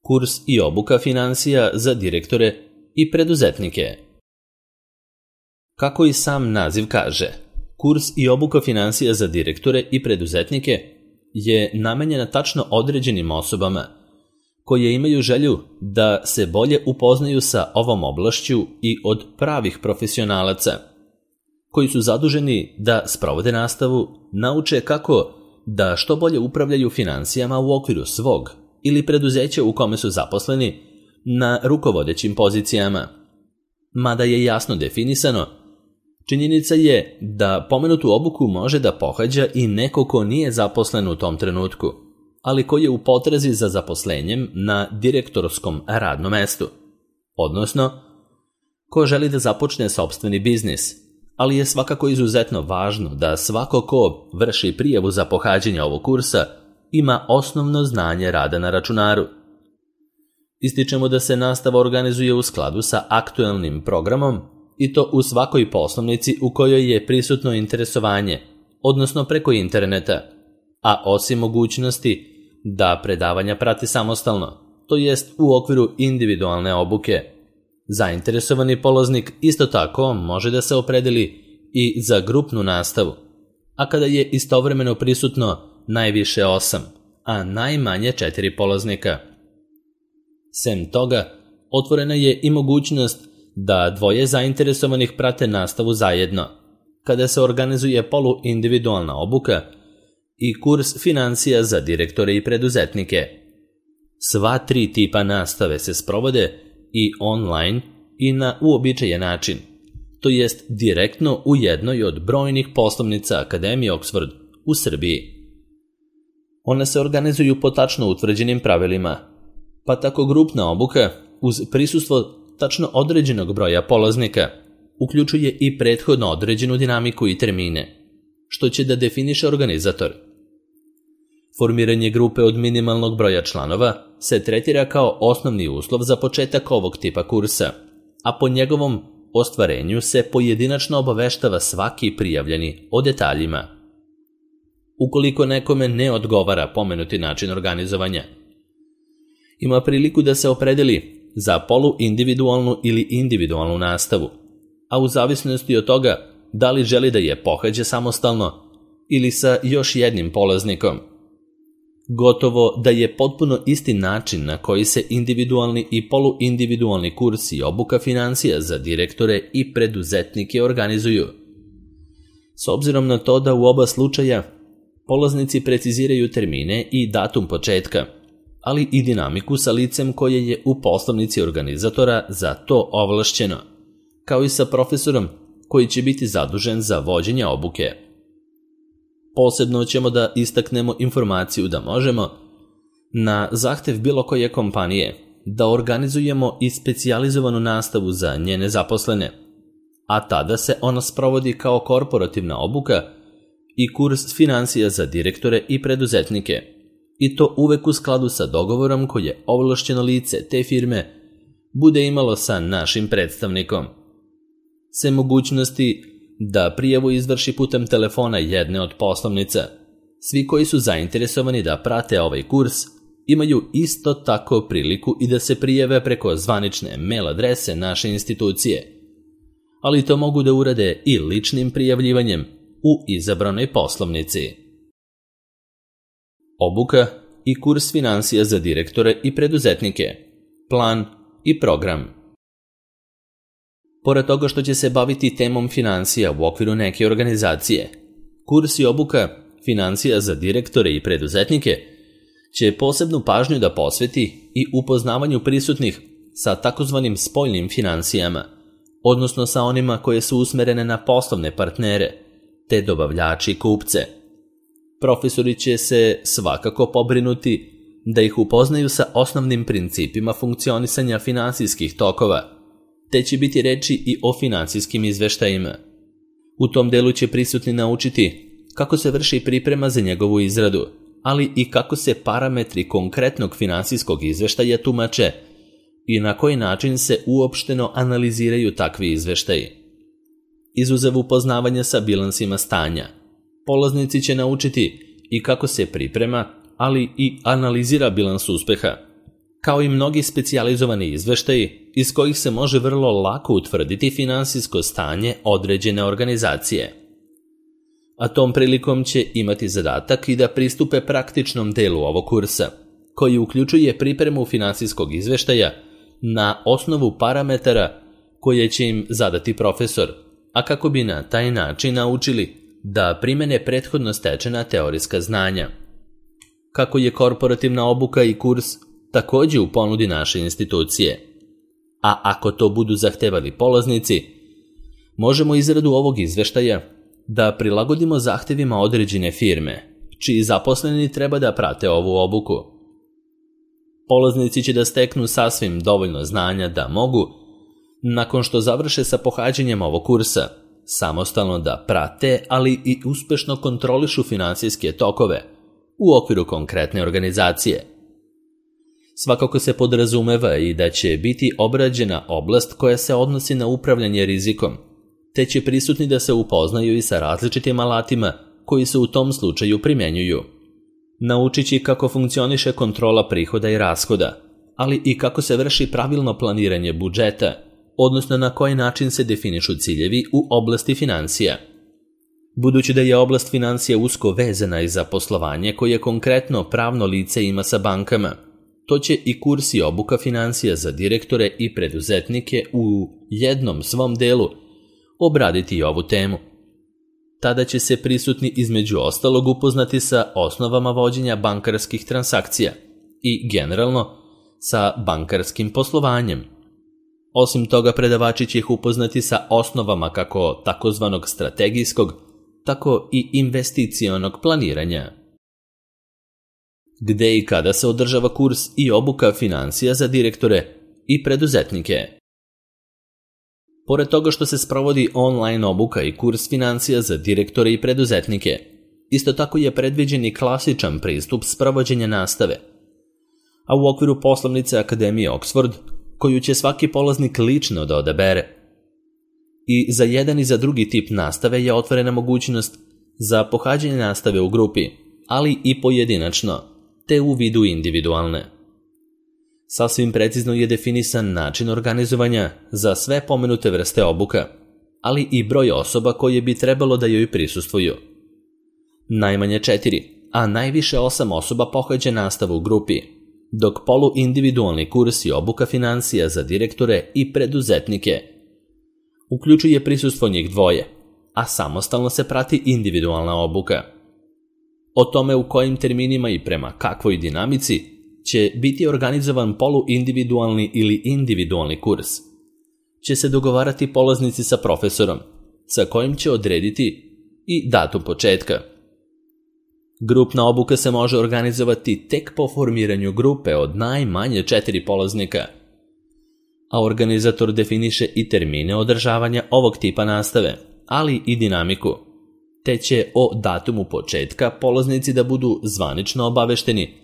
Kurs i obuka finansija za direktore i preduzetnike. Kako i sam naziv kaže, kurs i obuka finansija za direktore i preduzetnike je namenjena tačno određenim osobama koje imaju želju da se bolje upoznaju sa ovom oblašću i od pravih profesionalaca, koji su zaduženi da sprovode nastavu, nauče kako da što bolje upravljaju finansijama u okviru svog ili preduzeća u kome su zaposleni na rukovodećim pozicijama. Mada je jasno definisano, činjenica je da pomenutu obuku može da pohađa i neko ko nije zaposlen u tom trenutku, ali koji je u potrazi za zaposlenjem na direktorskom radnom mestu, odnosno ko želi da započne sopstveni biznis, ali je svakako izuzetno važno da svako ko vrši prijavu za pohađanje ovog kursa ima osnovno znanje rada na računaru. Ističemo da se nastava organizuje u skladu sa aktuelnim programom i to u svakoj poslovnici u kojoj je prisutno interesovanje, odnosno preko interneta, a osim mogućnosti da predavanja prati samostalno, to jest u okviru individualne obuke. Zainteresovani polaznik isto tako može da se opredeli i za grupnu nastavu, a kada je istovremeno prisutno najviše 8, a najmanje 4 polaznika. Sem toga, otvorena je i mogućnost da dvoje zainteresovanih prate nastavu zajedno, kada se organizuje poluindividualna obuka i kurs finansija za direktore i preduzetnike. Sva 3 tipa nastave se sprovode i online i na uobičajen način, to jest direktno u jednoj od brojnih poslovnica Akademije Oxford u Srbiji. One se organizuju po tačno utvrđenim pravilima, pa tako grupna obuka uz prisustvo tačno određenog broja polaznika uključuje i prethodno određenu dinamiku i termine, što će da definiše organizator. Formiranje grupe od minimalnog broja članova se tretira kao osnovni uslov za početak ovog tipa kursa, a po njegovom ostvarenju se pojedinačno obaveštava svaki prijavljeni o detaljima. Ukoliko nekome ne odgovara pomenuti način organizovanja, ima priliku da se opredeli za poluindividualnu ili individualnu nastavu, a u zavisnosti od toga da li želi da je pohađa samostalno ili sa još jednim polaznikom. Gotovo da je potpuno isti način na koji se individualni i poluindividualni kursi i obuka finansija za direktore i preduzetnike organizuju. S obzirom na to da u oba slučaja polaznici preciziraju termine i datum početka, ali i dinamiku sa licem koje je u poslovnici organizatora za to ovlašćeno, kao i sa profesorom koji će biti zadužen za vođenje obuke. Posebno ćemo da istaknemo informaciju da možemo, na zahtev bilo koje kompanije, da organizujemo i specijalizovanu nastavu za njene zaposlene, a tada se ona sprovodi kao korporativna obuka i kurs finansija za direktore i preduzetnike, i to uvek u skladu sa dogovorom koje ovlašćeno lice te firme bude imalo sa našim predstavnikom. Sem mogućnosti da prijavu izvrši putem telefona jedne od poslovnica, svi koji su zainteresovani da prate ovaj kurs imaju isto tako priliku i da se prijave preko zvanične mail adrese naše institucije, ali to mogu da urade i ličnim prijavljivanjem u izabranoj poslovnici. Obuka i kurs finansija za direktore i preduzetnike, plan i program. Pored toga što će se baviti temom finansija u okviru neke organizacije, kurs i obuka finansija za direktore i preduzetnike će posebnu pažnju da posveti i upoznavanju prisutnih sa takozvanim spoljnim finansijama, odnosno sa onima koje su usmerene na poslovne partnere, te dobavljači i kupce. Profesori će se svakako pobrinuti da ih upoznaju sa osnovnim principima funkcionisanja finansijskih tokova, te će biti reči i o finansijskim izveštajima. U tom delu će prisutni naučiti kako se vrši priprema za njegovu izradu, ali i kako se parametri konkretnog finansijskog izveštaja tumače i na koji način se uopšteno analiziraju takvi izveštaji. Izuzev upoznavanja sa bilansima stanja, polaznici će naučiti i kako se priprema, ali i analizira bilans uspeha, kao i mnogi specijalizovani izveštaji iz kojih se može vrlo lako utvrditi finansijsko stanje određene organizacije. A tom prilikom će imati zadatak i da pristupe praktičnom delu ovog kursa, koji uključuje pripremu finansijskog izveštaja na osnovu parametara koje će im zadati profesor, a kako bi na taj način naučili da primene prethodno stečena teorijska znanja. Kako je korporativna obuka i kurs također u ponudi naše institucije, a ako to budu zahtevali polaznici, možemo izradu ovog izveštaja da prilagodimo zahtevima određene firme, čiji zaposleni treba da prate ovu obuku. Polaznici će da steknu sasvim dovoljno znanja da mogu, nakon što završe sa pohađanjem ovog kursa, samostalno da prate, ali i uspešno kontrolišu finansijske tokove u okviru konkretne organizacije. Svakako se podrazumeva i da će biti obrađena oblast koja se odnosi na upravljanje rizikom, te će prisutni da se upoznaju i sa različitim alatima koji se u tom slučaju primjenjuju. Naučit će kako funkcioniše kontrola prihoda i rashoda, ali i kako se vrši pravilno planiranje budžeta, odnosno na koji način se definišu ciljevi u oblasti financija. Budući da je oblast financija usko vezana i za poslovanje koje konkretno pravno lice ima sa bankama, to će i kurs i obuka financija za direktore i preduzetnike u jednom svom delu obraditi i ovu temu. Tada će se prisutni između ostalog upoznati sa osnovama vođenja bankarskih transakcija i generalno sa bankarskim poslovanjem. Osim toga, predavači će ih upoznati sa osnovama kako takozvanog strategijskog, tako i investicionog planiranja. Gde i kada se održava kurs i obuka financija za direktore i preduzetnike? Pored toga što se sprovodi online obuka i kurs financija za direktore i preduzetnike, isto tako je predviđen i klasičan pristup sprovođenja nastave, a u okviru poslovnice Akademije Oxford, koju će svaki polaznik lično da odabere. I za jedan i za drugi tip nastave je otvorena mogućnost za pohađanje nastave u grupi, ali i pojedinačno, te u vidu individualne. Sasvim precizno je definisan način organizovanja za sve pomenute vrste obuka, ali i broj osoba koje bi trebalo da joj prisustvuju. Najmanje 4, a najviše 8 osoba pohađa nastavu u grupi, dok poluindividualni kurs i obuka financija za direktore i preduzetnike uključuje prisustvo njih dvoje, a samostalno se prati individualna obuka. O tome u kojim terminima i prema kakvoj dinamici će biti organizovan poluindividualni ili individualni kurs će se dogovarati polaznici sa profesorom, sa kojim će odrediti i datum početka. Grupna obuka se može organizovati tek po formiranju grupe od najmanje 4 polaznika, a organizator definiše i termine održavanja ovog tipa nastave, ali i dinamiku, te će o datumu početka polaznici da budu zvanično obavešteni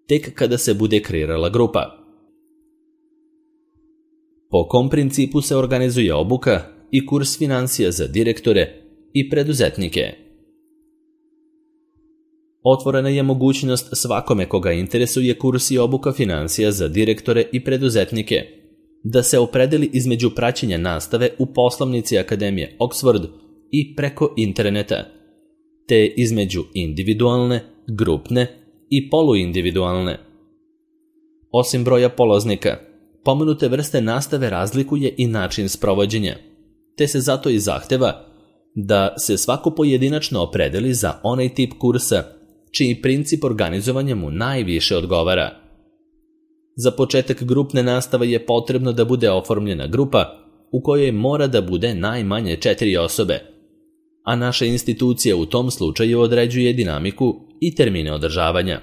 tek kada se bude kreirala grupa. Po kom principu se organizuje obuka i kurs financija za direktore i preduzetnike? Otvorena je mogućnost svakome koga interesuje kurs i obuka financija za direktore i preduzetnike da se opredeli između praćenja nastave u poslovnici Akademije Oxford i preko interneta, te između individualne, grupne i poluindividualne. Osim broja polaznika, pomenute vrste nastave razlikuje i način sprovođenja, te se zato i zahteva da se svako pojedinačno opredeli za onaj tip kursa čiji princip organizovanja mu najviše odgovara. Za početak grupne nastave je potrebno da bude oformljena grupa u kojoj mora da bude najmanje 4 osobe, a naša institucija u tom slučaju određuje dinamiku i termine održavanja.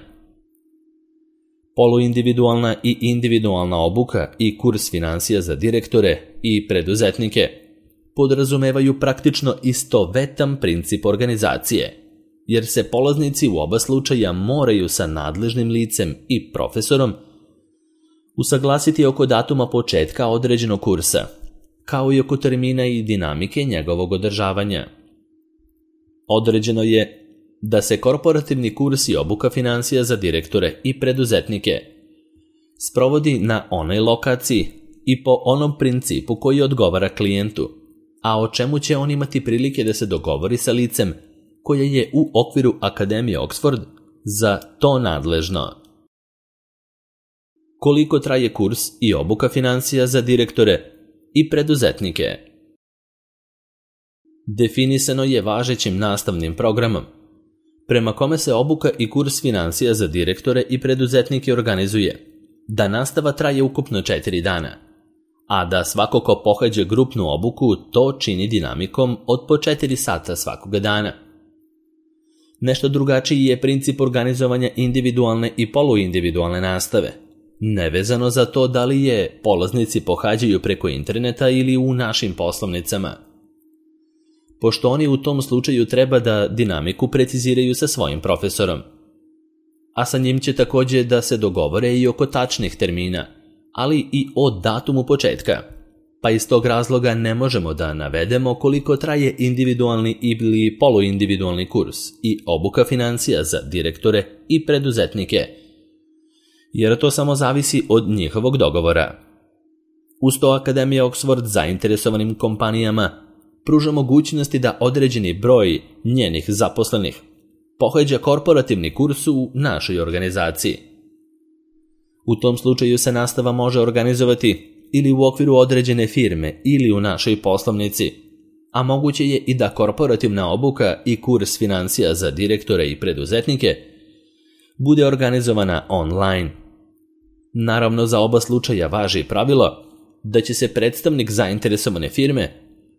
Poluindividualna i individualna obuka i kurs financija za direktore i preduzetnike podrazumevaju praktično istovetan princip organizacije, jer se polaznici u oba slučaja moraju sa nadležnim licem i profesorom usaglasiti oko datuma početka određenog kursa, kao i oko termina i dinamike njegovog održavanja. Određeno je da se korporativni kurs i obuka financija za direktore i preduzetnike sprovodi na onoj lokaciji i po onom principu koji odgovara klijentu, a o čemu će on imati prilike da se dogovori sa licem koje je u okviru Akademije Oxford za to nadležno. Koliko traje kurs i obuka financija za direktore i preduzetnike? Definisano je važećim nastavnim programom, prema kome se obuka i kurs financija za direktore i preduzetnike organizuje, da nastava traje ukupno 4 dana, a da svako ko pohađa grupnu obuku to čini dinamikom od po 4 sata svakoga dana. Nešto drugačiji je princip organizovanja individualne i poluindividualne nastave, nevezano za to da li je polaznici pohađaju preko interneta ili u našim poslovnicama, pošto oni u tom slučaju treba da dinamiku preciziraju sa svojim profesorom, a sa njim će također da se dogovore i oko tačnih termina, ali i o datumu početka, pa iz tog razloga ne možemo da navedemo koliko traje individualni ili poluindividualni kurs i obuka financija za direktore i preduzetnike, jer to samo zavisi od njihovog dogovora. Uz to Akademija Oxford zainteresovanim kompanijama pruža mogućnosti da određeni broj njenih zaposlenih pohađa korporativni kurs u našoj organizaciji. U tom slučaju se nastava može organizovati ili u okviru određene firme ili u našoj poslovnici, a moguće je i da korporativna obuka i kurs financija za direktore i preduzetnike bude organizovana online. Naravno, za oba slučaja važi pravilo da će se predstavnik zainteresovane firme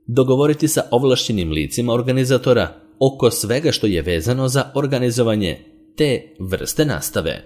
dogovoriti sa ovlašćenim licima organizatora oko svega što je vezano za organizovanje te vrste nastave.